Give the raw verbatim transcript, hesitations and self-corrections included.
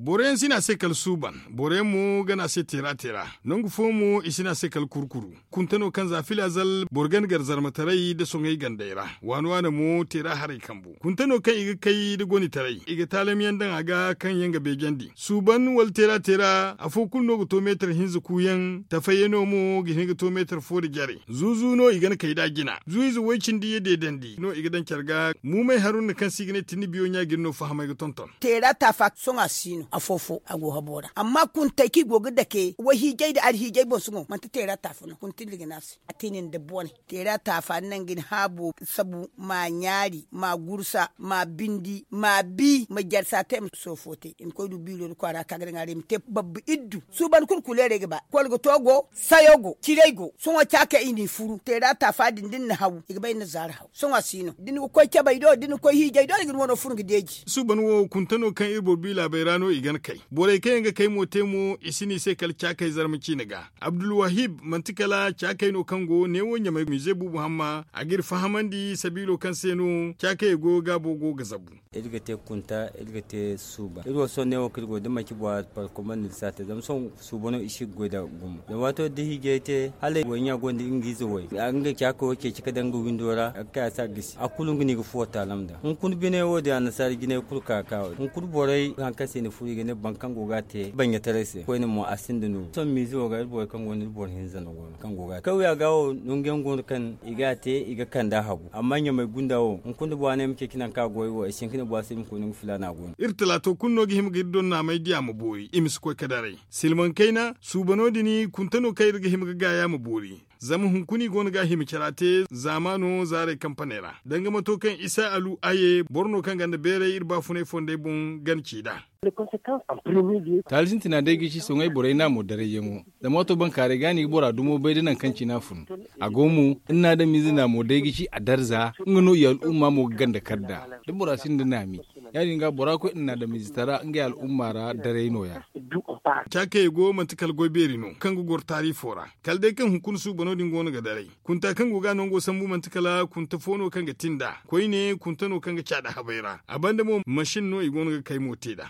Boro yaŋ si ne a se kala suuban. Boro yaŋ mo ga ne a se teera teera. Nangu fo mo i si ne a se kala kurkuru. Kunta no kaŋ za filazal boro gana gar zarmataray nda soŋay gandey ra. Waana waana mo teera haray kambu. Kunta no kaŋ i ga kay nda gonitaray i ga taalam yaŋ daŋ a ga kaŋ yaŋ ga beejandi suuban wala teera teera afo kulu no ga to meetar hinza kuuyaŋ. Tafayyaŋo mo ga hin ga to meetar fo nda jare. Zuuzu no i gana kay nd'a jina zuuyize woy cindi ya deedandi no i ga daŋ care ga. Muumay haruna kaŋ se i ga ne tinni biyo ɲa ga iri no fahamay ga tonton. Teera taafa sohõ a si no afo fo a go habo ra amma kuntey kaŋ i go ga dake wayhiijay nda alhiijay boŋ sohõ manti teera taafa no kunta iri ga ne a se. A te nin da bone teera taafa ni naŋ ga ni haabo sabu ma ɲaari ma gursa ma bindi ma bi ma jarsa te ma soofo te i ma koy du biiro nda kwaara ka ga daŋ a ra i ma te babba iddu. Suuban kulu kuleerey ga ba kwalga to go sayo go ciray go sohõ caakey i n'i furu teera taafa din da ni na haw i ga bay ni na zaari haw sohõ a si no da ni ga koy cabey do da ni ga koy hiijay do i ga ni wano furu ga deeji. Suuban wo kunta no kaŋ iri boro bi laabey ra no i gana kay borey kaŋ yaŋ ga kay mo te mo i si no i se kala caakey zarma ciine ga. Abdulwahib manti kala caakey no kaŋ go neewo ɲamay mize buubu hamma a ga iri fahamandi sabiilo kaŋ se no caakey go gaabo go ga zabu. Iri ga te kunta iri ga te suuba iri wo sohõ neewo kaŋ iri go da manci bora parkomandi iri si a te zama sohõ suuba no i si ga goy nd'a gumo zama waato da hiijay te hala wayɲa gonda nga ize way nga caakey wo ceeci ga daŋ nga windo ra a ga kay a si a gisi a kulu nga no i ga fuwo taalam nd'a hunkuna biney wo- din annasaara jinay kulu ka ga ka wo- din hunkuna borey hari kaŋ se i na furo i ga ne boro kaŋ go ga a te banɲataray se koyne mo a sinda nooru sohõ miize wo ga iri borey kaŋ go no iri boro hinza no go no kaŋ go ga a te kawya ga wo nangu yaŋ go no kaŋ i ga a te i ga kand'a habu amma ɲamay gunda wo hunkuna da bora ne ay ma ceeci nangu kaŋ a go ay wo ay si hin ga ne bora se ay ma koy nangu filaana go no iri talaato kulu no ga hima ga iri donnaamay di a ma boori i ma si koy ga daray. Silmaŋ kayna suubano din kunta no kaŋ iri ga hima ga gaaya ma boori. Zama hunkuna i go no ga a hima cara te zaamaano zaaray kampaney ra danga mato kaŋ isa alu aye boro no kaŋ ganda beeray iri baafunay fondey boŋ gana ci nd'a. Taali sintina day ga ci soŋay borey naamo darayyaŋo. Zama waato bankaaray ga no i ga bora dumo bay da nangu kaŋ cine a fun. A go mo iri na adamize naamo day ga ci a darza nga no i al'umma mo ga ganda kar nd'a. Da bora sinda naami ya- din ga bora koy iri na adamize tara ngey al'umma ra daray no- ya. Caakey go manti kala goy beeri no kaŋ ga goro taarifo ra kala day kaŋ hunkuna suubano din go no ga daray. Kunta kaŋ go ga a nango sambu manti kala kunta fo no kaŋ ga ti nd'a koyne kunta no kaŋ ga caada habey ra a banda mo masin no i go no ga kay mo te nd'a.